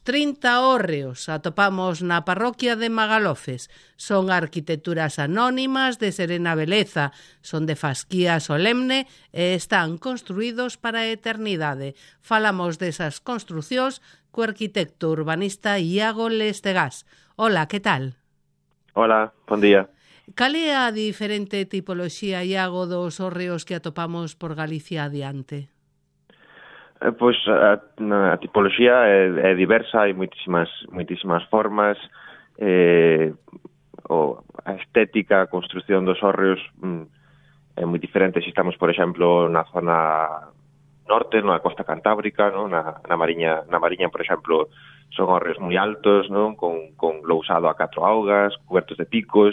30 hórreos atopamos na parroquia de Magalofes. Son arquitecturas anónimas de serena beleza, son de fasquía solemne e están construídos para a eternidade. Falamos desas construcións co arquitecto urbanista Iago Lestegás. Hola, que tal? Hola, bon día. Cal é a diferente tipoloxía, Iago, dos hórreos que atopamos por Galicia adiante? Pois a tipoloxía é diversa, hai moitísimas formas, a estética, a construción dos hórreos é moi diferente. Se estamos, por exemplo, na zona norte, na costa cantábrica, no? na Mariña, por exemplo, son hórreos moi altos, non? Con lousado a 4 augas, cobertos de picos.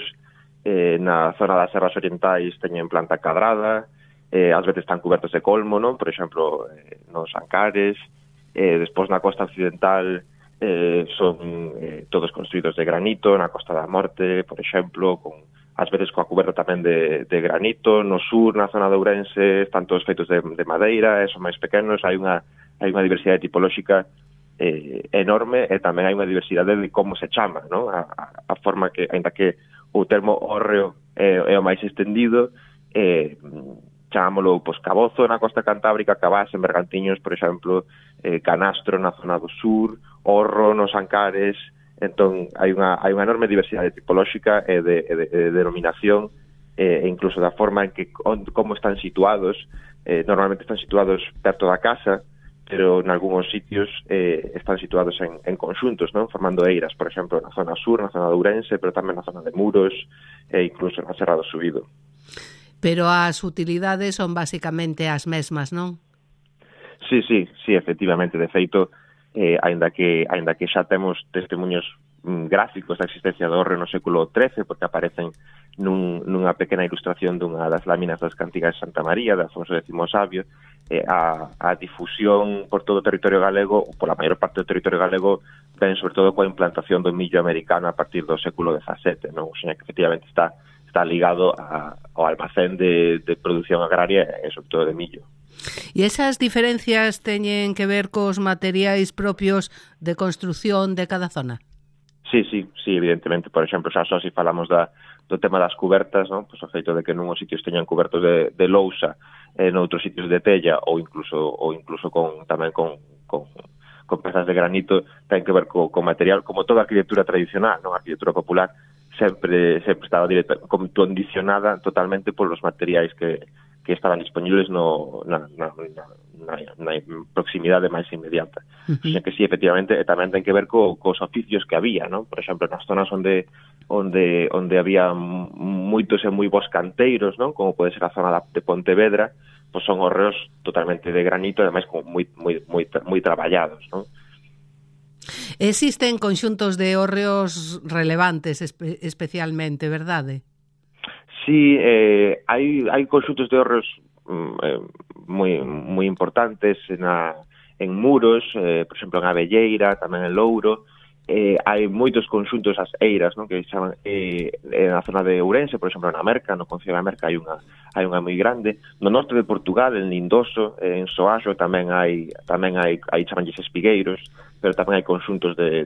Na zona das serras orientais teñen planta cadrada, ás veces están cobertos de colmo, non? Por exemplo, nos Ancares. Despois na costa occidental son todos construídos de granito, na Costa da Morte, por exemplo, ás veces coa coberta tamén de granito. No sur, na zona de Ourense, están todos feitos de madeira, son máis pequenos. Hai unha diversidade tipolóxica enorme, e tamén hai unha diversidade de como se chama, non? A forma que, ainda que o termo hórreo é o máis extendido, chamámoslo cabozo na costa cantábrica, cabás en Bergantiños, por exemplo, canastro na zona do sur, horro nos Ancares. Entón, hai unha enorme diversidade tipolóxica e de denominación, e incluso da forma en que como están situados. Normalmente están situados perto da casa, pero en algúns sitios están situados en conxuntos, non? Formando eiras, por exemplo, na zona sur, na zona de Ourense, pero tamén na zona de Muros e incluso na Serra do Subido. Pero as utilidades son basicamente as mesmas, non? Sí, efectivamente. De feito, aínda que xa temos testemunhos gráficos da existencia do hórreo no século XIII, porque aparecen nunha pequena ilustración dunha das láminas das Cantigas de Santa María, de Afonso X Sabio. A difusión por todo o territorio galego, ou pola maior parte do territorio galego, ven sobre todo coa implantación do millo americano a partir do século XVII, non? O sea, que efectivamente está ligado ao almacén de produción agraria e sobre todo de millo. E esas diferencias teñen que ver cos materiais propios de construción de cada zona? Sí, evidentemente. Por exemplo, xa só se falamos do tema das cubertas, non? Pois o feito de que nunhos sitios teñan cubertos de lousa, noutros sitios de tella, ou incluso tamén con pezas de granito, ten que ver co material, como toda a arquitectura tradicional, non? A arquitectura popular sempre estaba condicionada totalmente polos materiais que estaban disponibles na proximidade máis inmediata. O sea que sí, efectivamente, tamén ten que ver cos oficios que había, non? Por exemplo, nas zonas onde había moitos e moi bons canteiros, non? Como pode ser a zona de Pontevedra, pois son hórreos totalmente de granito, e ademais moi traballados, non? Existen conxuntos de hórreos relevantes especialmente, verdade? Sí, hai conxuntos de hórreos moi importantes en Muros, por exemplo en Abelleira, tamén en Louro. Hai moitos conxuntos, as eiras, non? Que chaman na zona de Ourense, por exemplo na Merca, no concello da Merca hai unha moi grande. No norte de Portugal, en Lindoso, en Soaxo tamén hai chamanlles espigueiros, pero tamén hai conxuntos de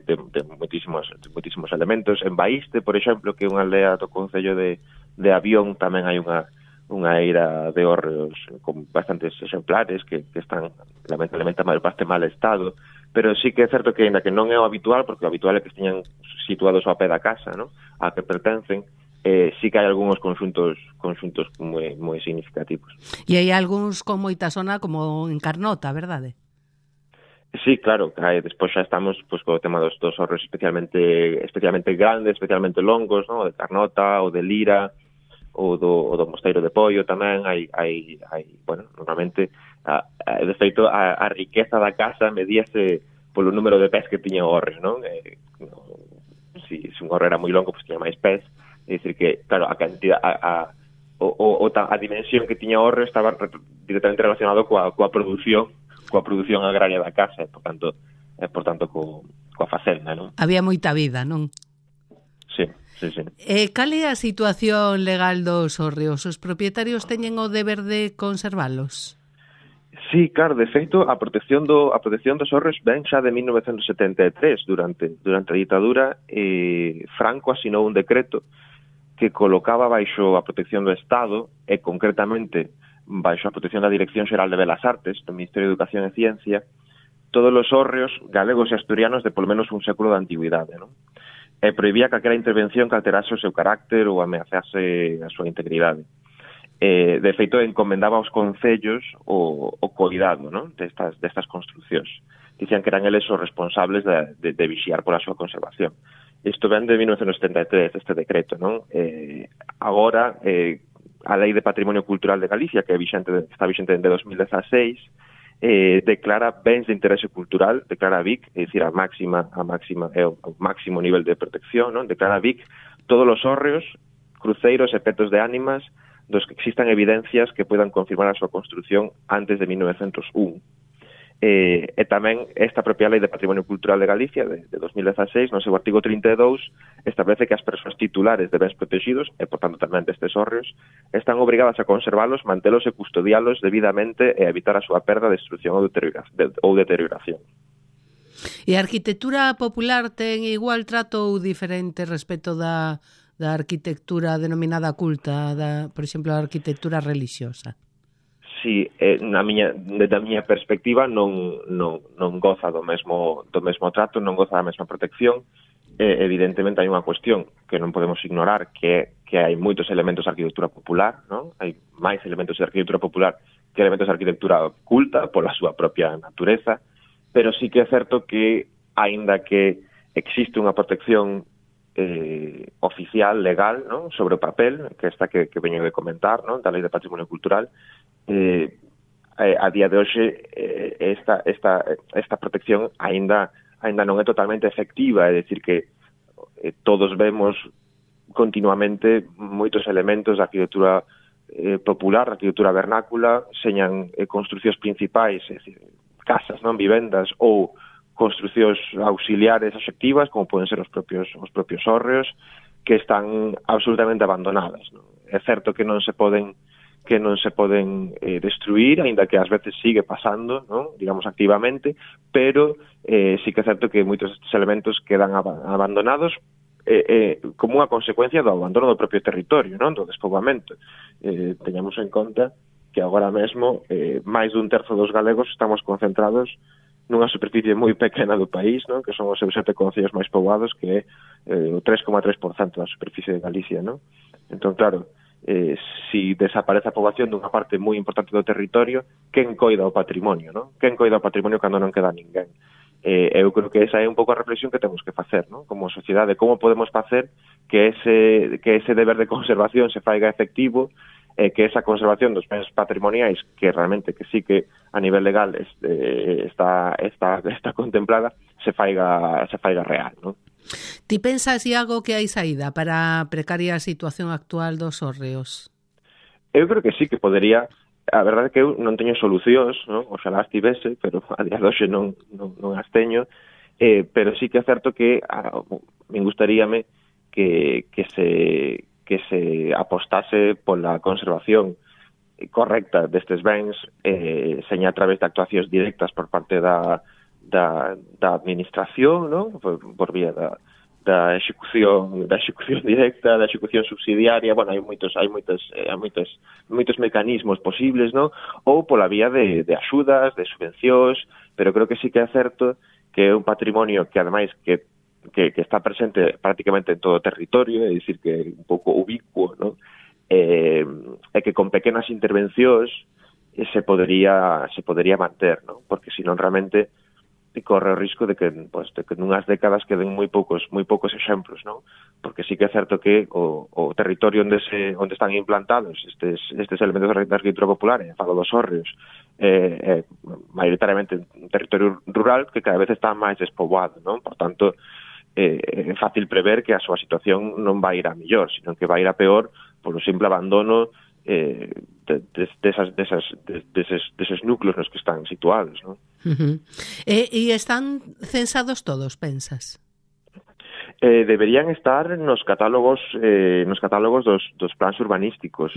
moitísimos elementos. En Baíste, por exemplo, que é unha aldea do concello de Avión, tamén hai unha eira de hórreos con bastantes exemplares que están lamentablemente a maior parte mal estado. Pero sí que é certo que, ainda que non é o habitual, porque o habitual é que esteñan situados ao pé da casa, ¿no? A que pertencen, sí que hai algúns conxuntos moi significativos. E hai algúns con moita zona, como en Carnota, verdade? Sí, claro, despois xa estamos co tema dos hórreos especialmente grandes, especialmente longos, ¿no? O de Carnota, o de Lira, o do Mosteiro de Poio tamén. Hai normalmente, de feito, a riqueza da casa medíase polo número de pés que tiña o hórreo, non? Se un hórreo era moi longo, pois tiña máis pés. É dicir que, claro, a cantidad, a dimensión que tiña o hórreo estaba directamente relacionado coa produción agraria da casa, por tanto coa facenda, non? Había moita vida, non? Sí. Cal é a situación legal dos hórreos? Os propietarios teñen o deber de conservalos? Sí, claro, de feito, a protección dos hórreos ven xa de 1973, durante a ditadura. Franco asinou un decreto que colocaba baixo a protección do Estado, e concretamente baixo a protección da Dirección Xeral de Belas Artes, do Ministerio de Educación e Ciencia, todos os hórreos galegos e asturianos de polo menos un século de antigüidade, non? E prohibía calquera intervención que alterase o seu carácter ou ameazase a súa integridade. De feito, encomendaba aos concellos o cuidado, non? destas construcións. Dicían que eran eles os responsables de vixiar pola súa conservación. Isto ven de 1973, este decreto, non? Agora, a Lei de Patrimonio Cultural de Galicia, que está vixente desde 2016, declara bens de interese cultural, declara BIC, é dicir, a máximo nivel de protección, non? Declara BIC todos os hórreos, cruceiros e petos de ánimas dos que existan evidencias que poidan confirmar a súa construción antes de 1901. E tamén esta propia Lei de Patrimonio Cultural de Galicia de 2016, no seu artigo 32, establece que as persoas titulares de bens protegidos, e por tanto tamén destes hórreos, están obrigadas a conservalos, mantelos e custodialos debidamente e a evitar a súa perda, destrucción ou deterioración. E a arquitectura popular ten igual trato ou diferente respecto da arquitectura denominada culta, por exemplo, a arquitectura religiosa? Sí, desde a miña perspectiva non goza do mesmo trato, non goza da mesma protección. Evidentemente hai unha cuestión que non podemos ignorar, que hai moitos elementos de arquitectura popular, non? Hai máis elementos de arquitectura popular que elementos de arquitectura culta pola súa propia natureza, pero sí que é certo que, aínda que existe unha protección oficial, legal, ¿no?, sobre o papel, que esta que veño de comentar, ¿no?, da Lei de Patrimonio Cultural, a día de hoxe esta protección aínda non é totalmente efectiva, é dicir que todos vemos continuamente moitos elementos da arquitectura popular, da arquitectura vernácula, señan construcións principais, é dicir, casas, non, vivendas ou construcións auxiliares axectivas, como poden ser os propios hórreos, que están absolutamente abandonadas, non? É certo que non se poden destruir, aínda que ás veces sigue pasando, non? Digamos activamente, pero sí que é certo que moitos destes elementos quedan abandonados como unha consecuencia do abandono do propio territorio, non? Do despoboamento. Teñamos en conta que agora mesmo máis dun terzo dos galegos estamos concentrados nunha superficie moi pequena do país, non? Que son os seus 7 concellos máis poboados, que é o 3,3% da superficie de Galicia, non? Entón, claro, si desaparece a poboación dunha parte moi importante do territorio, quen coida o patrimonio, non? Quen coida o patrimonio cando non queda ninguén? Eu creo que esa é un pouco a reflexión que temos que facer, non? Como sociedade, como podemos facer que ese deber de conservación se faiga efectivo, que esa conservación dos bens patrimoniais, que realmente que sí que a nivel legal está contemplada, se faiga real, non? Ti pensas, Iago, que hai saída para a precaria situación actual dos hórreos? Eu creo que sí que podería. A verdade é que eu non teño solucións, non? Oxalá as tivese, pero a día de hoxe non as teño, pero sí que é certo que me gustaríame que se apostase pola conservación correcta destes bens, seña a través de actuacións directas por parte da administración, non? Por vía da execución directa, da execución subsidiaria. Bueno, hai moitos mecanismos posibles, non? Ou pola vía de axudas, de subvencións, pero creo que sí que é certo que é un patrimonio que ademais que está presente prácticamente en todo o territorio, é dicir que é un pouco ubicuo, non? E que con pequenas intervencións se podería manter, non? Porque senón realmente corre o risco de que nunhas décadas queden moi poucos exemplos, non? Porque sí que é certo que o territorio onde están implantados estes elementos da arquitectura popular, falo dos hórreos, maioritariamente un territorio rural que cada vez está máis despoboado, non? Por tanto, é fácil prever que a súa situación non vai ir a mellor, sino que vai ir a peor polo simple abandono deses núcleos nos que están situados, non? E están censados todos, pensas? Deberían estar nos catálogos dos plans urbanísticos.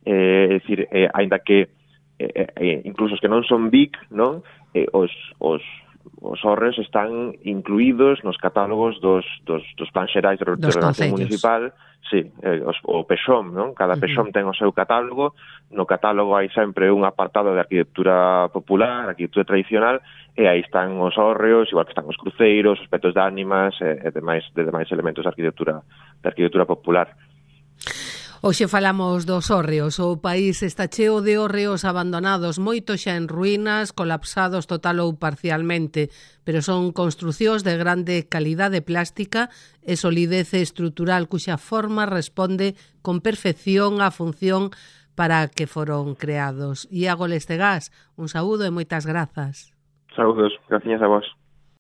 É dicir, aínda que incluso os que non son BIC, non? Os hórreos están incluídos nos catálogos dos plans xerais de ordenación municipal. Sí, o PEXOM, non? Cada PEXOM ten o seu catálogo. No catálogo hai sempre un apartado de arquitectura popular, arquitectura tradicional, e aí están os hórreos, igual que están os cruceiros, os petos de ánimas e demais elementos de arquitectura popular. Hoxe falamos dos hórreos. O país está cheo de hórreos abandonados, moitos xa en ruínas, colapsados total ou parcialmente, pero son construcións de grande calidade plástica e solidez estrutural cuxa forma responde con perfección á función para que foron creados. Iago Lestegás, un saúdo e moitas grazas. Saúdos, gracias a vos.